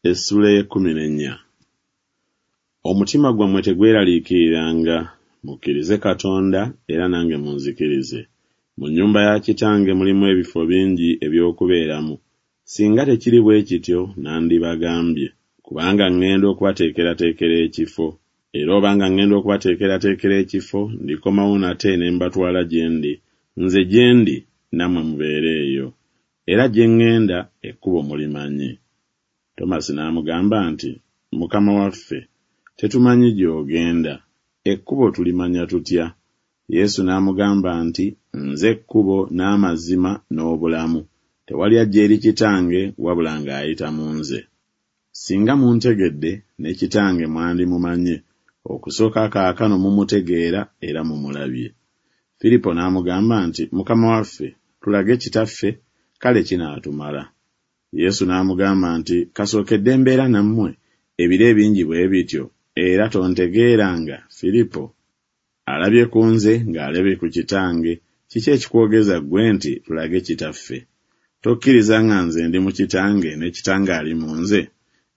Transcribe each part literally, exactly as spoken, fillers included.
Essula ey'ekkumi n'ennya. Omutima gwammwe tegweraliikiriranga, mukkirize Katonda era nange munzikirize. Mu nnyumba ya Kitange mulimu ebifo bingi eby'okubeeramu. Singa tekiri bwe kityo nandibagambye, kubanga ŋŋenda okubateekerateekera ekifo. Era obanga ŋŋenda okubateekerateekera ekifo, ndikomawo nate ne mbatwala gye ndi, nze gye ndi nammwe mubeere eyo. Era gye ŋŋenda ekkubo mulimanyi. Tomasi n'amugamba nti, Mukama waffe, tetumanyi gy'ogenda, ekkubo tulimanya tutya? Yesu n'amugamba nti, Nze kkubo n'amazima n'obulamu. Tewali ajja eri Kitange wabula ng'ayita mu nze. Singa muntegedde, ne Kitange mwandimumanye, okusooka kaakano mumutegeera era mumulabye. Firipo n'amugamba nti, Mukama waffe, tulage Kitaffe, kale kinaatumala. Yesu n'amugamba nti, Kasookedde mbeera nammwe ebiro ebingi bwe bityo, era tontegeeranga, Firipo? Alabye ku nze ng'alabye ku Kitange, kiki ekikwogeza ggwe nti, Tulage Kitaffe? Tokkiriza nga nze ndi mu Kitange ne Kitange ali mu nze?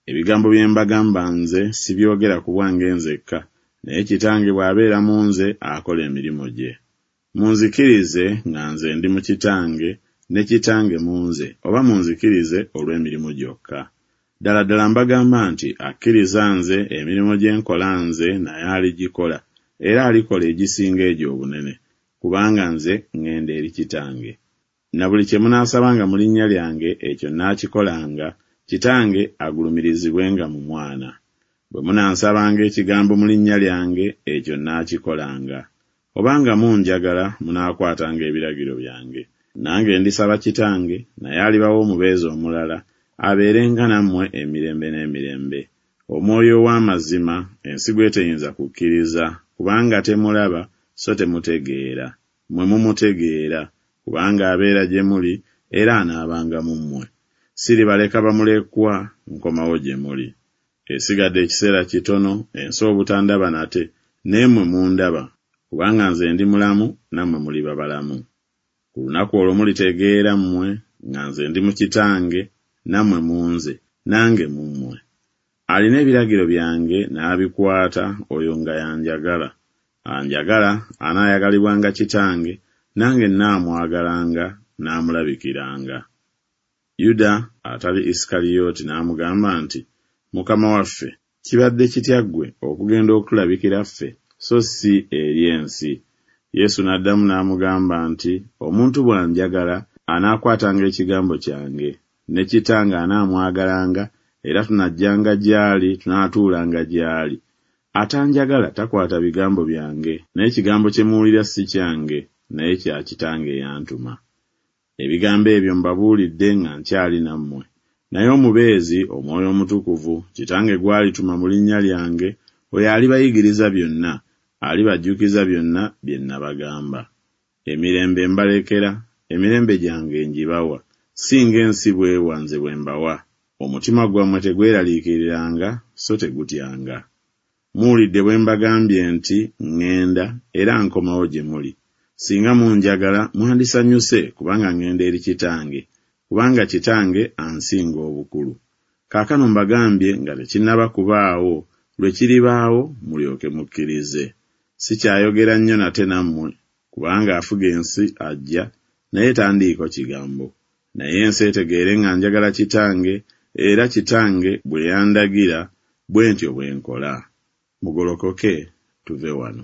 Ebigambo bye mbagamba nze sibyogera ku bwange nzekka, naye Kitange bw'abeera mu nze akola emirimu gye. Munzikirize nga nze ndi mu Kitange ne Kitange mu nze, oba munzikirize olw'emirimu gyokka. Ddala ddala mbagamba nti akkiriza nze, emirimu gye nkola nze naye aligikola, era alikola egisinga egyo obunene, kubanga nze ŋŋenda eri Kitange. Na buli kye munaasabanga mu linnya lyange, ekyo nnaakikolanga, Kitange agulumirizibwenga mu Mwana. Bwe munansabanga ekigambo mu linnya lyange, ekyo nnaakikolanga. Obanga munjagala, munaakwatanga ebiragiro byange. Nange ndisaba Kitange, naye alibawa omubeezi omulala, abeerenga nammwe emirembe n'emirembe. Omwoyo ow'amazima, ensi gw'eteyinza kukkiriza, kubanga temulaba so temutegeera. Mmwe mumutegeera, kubanga abeera gye muli era anaabanga mu mmwe. Siribaleka bamulekwa, nkomawo gye muli. Esigadde ekiseera kitono, ensi obutandaba nate, naye mmwe mundaba, kubanga nze ndi mulamu, nammwe muliba balamu. Ku lunaku olwo mulitegeera mmwe nga nze ndi mu Kitange, nammwe mu nze, nange mu mmwe. Alina ebiragiro byange n'abikwata, oyo nga y'anjagala. Anjagala anaayagalibwanga Kitange, nange nnaamwagalanga, n'amulabikiranga. Yuda atali Isikaliyooti n'amugamba nti, Mukama waffe, kibadde kitya ggwe okugenda okutulabikira ffe, so si eri ensi? Yesu n'addamu n'amugamba nti, Omuntu bw'anjagala, anaakwatanga ekigambo kyange, ne Kitange anaamwagalanga, era tunajjanga gy'ali, tunaatuulanga gy'ali. Atanjagala takwata bigambo byange, naye ekigambo kye muwulira si kyange, naye kya Kitange eyantuma. Ebigambo ebyo mbabuulidde nga nkyali nammwe. Naye Omubeezi, Omwoyo Omutukuvu, Kitange gw'alituma mu linnya lyange, oyo alibayigiriza byonna, alibajjukiza byonna bye nabagamba. Emirembe mbalekera, emirembe gyange ngibawa, si ng'ensi bw'ewa nze bwe mbawa. Omutima gwammwe tegweraliikiriranga, so tegutyanga. Muwulidde bwe mbagambye nti, ŋŋenda era nkomawo gye muli. Singa munjagala, mwandisanyuse kubanga ŋŋenda eri Kitange, kubanga Kitange ansinga obukulu. Kaakano mbagambye nga tekinnaba kubaawo, lwe kiribaawo mulyoke mukkirize. Sikyayogera nnyo nate nammwe, kubanga afuga ensi ajja, naye tandiiko kigambo. Naye ensi etegeere nga njagala Kitange, era Kitange bwe yandagira, bwe ntyo bwe nkola. Mugolokoke tuve wano.